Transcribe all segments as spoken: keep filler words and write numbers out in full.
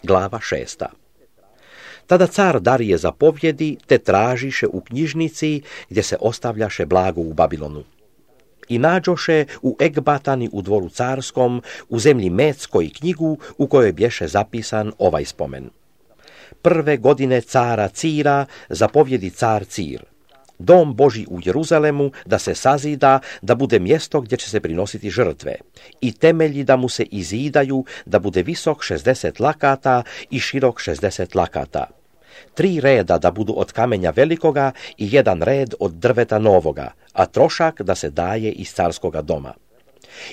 Glava šesta. Tada car Darije zapovjedi, te tražiše u knjižnici gdje se ostavljaše blago u Babilonu. I nađoše u Ekbatani u dvoru carskom, u zemlji Metskoj knjigu u kojoj bješe zapisan ovaj spomen. Prve godine cara Cira zapovjedi car Cir. Dom Božji u Jeruzalemu da se sazida, da bude mjesto gdje će se prinositi žrtve, i temelji da mu se izidaju, da bude visok šezdeset lakata i širok šezdeset lakata. Tri reda da budu od kamenja velikoga i jedan red od drveta novoga, a trošak da se daje iz carskoga doma.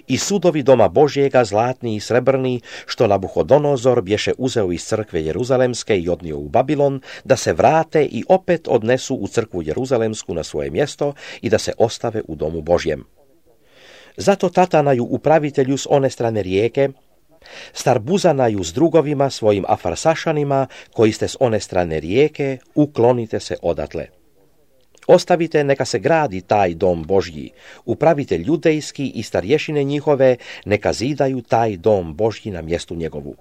I sudovi doma Božjega, zlatni i srebrni, što Nabuhodonozor bješe uzeo iz crkve Jeruzalemske i odnio u Babilon, da se vrate i opet odnesu u crkvu Jeruzalemsku na svoje mjesto i da se ostave u domu Božjem. Zato Tatanaju upravitelju s one strane rijeke, Starbuzanaju s drugovima svojim Afarsašanima, koji ste s one strane rijeke, uklonite se odatle. Ostavite neka se gradi taj dom Božji, upravitelj judejski i starješine njihove neka zidaju taj dom Božji na mjestu njegovu.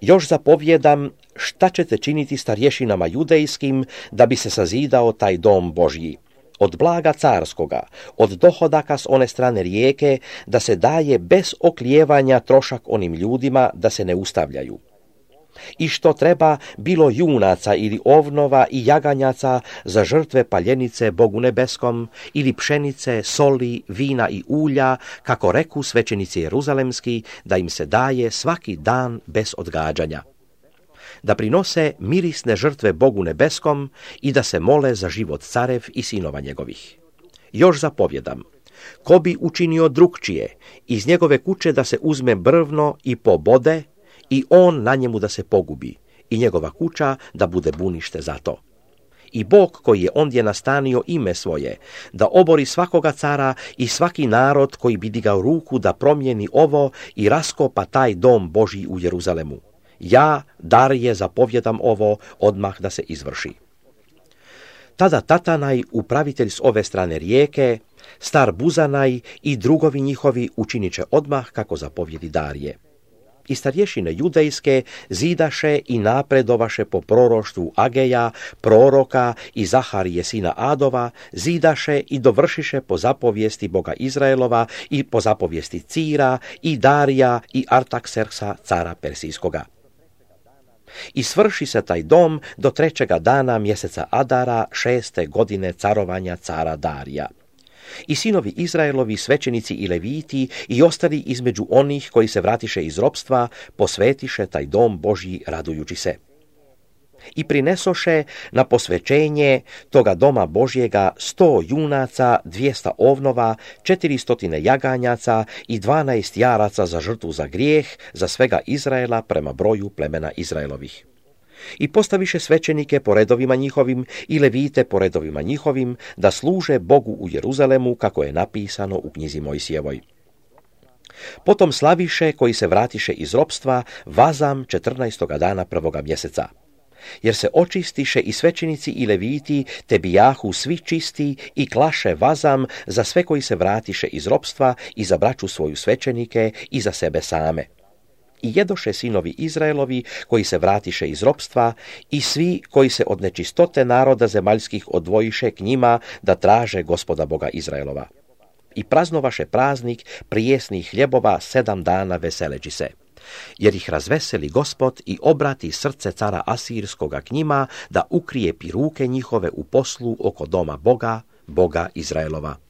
Još zapovjedam šta ćete činiti starješinama judejskim da bi se sazidao taj dom Božji. Od blaga carskoga, od dohodaka s one strane rijeke, da se daje bez oklijevanja trošak onim ljudima da se ne ustavljaju. I što treba bilo junaca ili ovnova i jaganjaca za žrtve paljenice Bogu nebeskom, ili pšenice, soli, vina i ulja, kako reku svećenici jeruzalemski, da im se daje svaki dan bez odgađanja. Da prinose mirisne žrtve Bogu nebeskom i da se mole za život carev i sinova njegovih. Još zapovjedam, ko bi učinio drukčije, iz njegove kuće da se uzme brvno i pobode, i on na njemu da se pogubi, i njegova kuća da bude bunište za to. I Bog koji je ondje nastanio ime svoje, da obori svakoga cara i svaki narod koji bi digao ruku da promijeni ovo i raskopa taj dom Božji u Jeruzalemu. Ja, Darije, zapovjedam ovo odmah da se izvrši. Tada Tatanaj, upravitelj s ove strane rijeke, Starbuzanaj i drugovi njihovi učinit će odmah kako zapovjedi Darije. I starješine judejske zidaše i napredovaše po proroštvu Ageja, proroka i Zaharije sina Adova, zidaše i dovršiše po zapovijesti Boga Izraelova i po zapovijesti Cira i Darija i Artakserksa cara Persijskoga. I svrši se taj dom do trećega dana mjeseca Adara šeste godine carovanja cara Darija. I sinovi Izraelovi, svećenici i leviti i ostali između onih koji se vratiše iz ropstva, posvetiše taj dom Božji radujući se. I prinesoše na posvećenje toga doma Božjega sto junaca, dvijesta ovnova, četiristotine jaganjaca i dvanaest jaraca za žrtvu za grijeh, za svega Izraela prema broju plemena Izraelovih. I postaviše svećenike po redovima njihovim i levite po redovima njihovim, da služe Bogu u Jeruzalemu, kako je napisano u knjizi Mojsijevoj. Potom slaviše, koji se vratiše iz ropstva, vazam četrnaestoga dana prvoga mjeseca. Jer se očistiše i svećenici i leviti, te bijahu svi čisti i klaše vazam za sve koji se vratiše iz ropstva i za braću svoju svećenike i za sebe same. I jedoše sinovi Izraelovi koji se vratiše iz ropstva i svi koji se od nečistote naroda zemaljskih odvojiše k njima da traže Gospoda Boga Izraelova. I praznovaše praznik prijesnih hljebova sedam dana veseleći se, jer ih razveseli Gospod i obrati srce cara Asirskoga k njima da ukrijepi ruke njihove u poslu oko doma Boga, Boga Izraelova.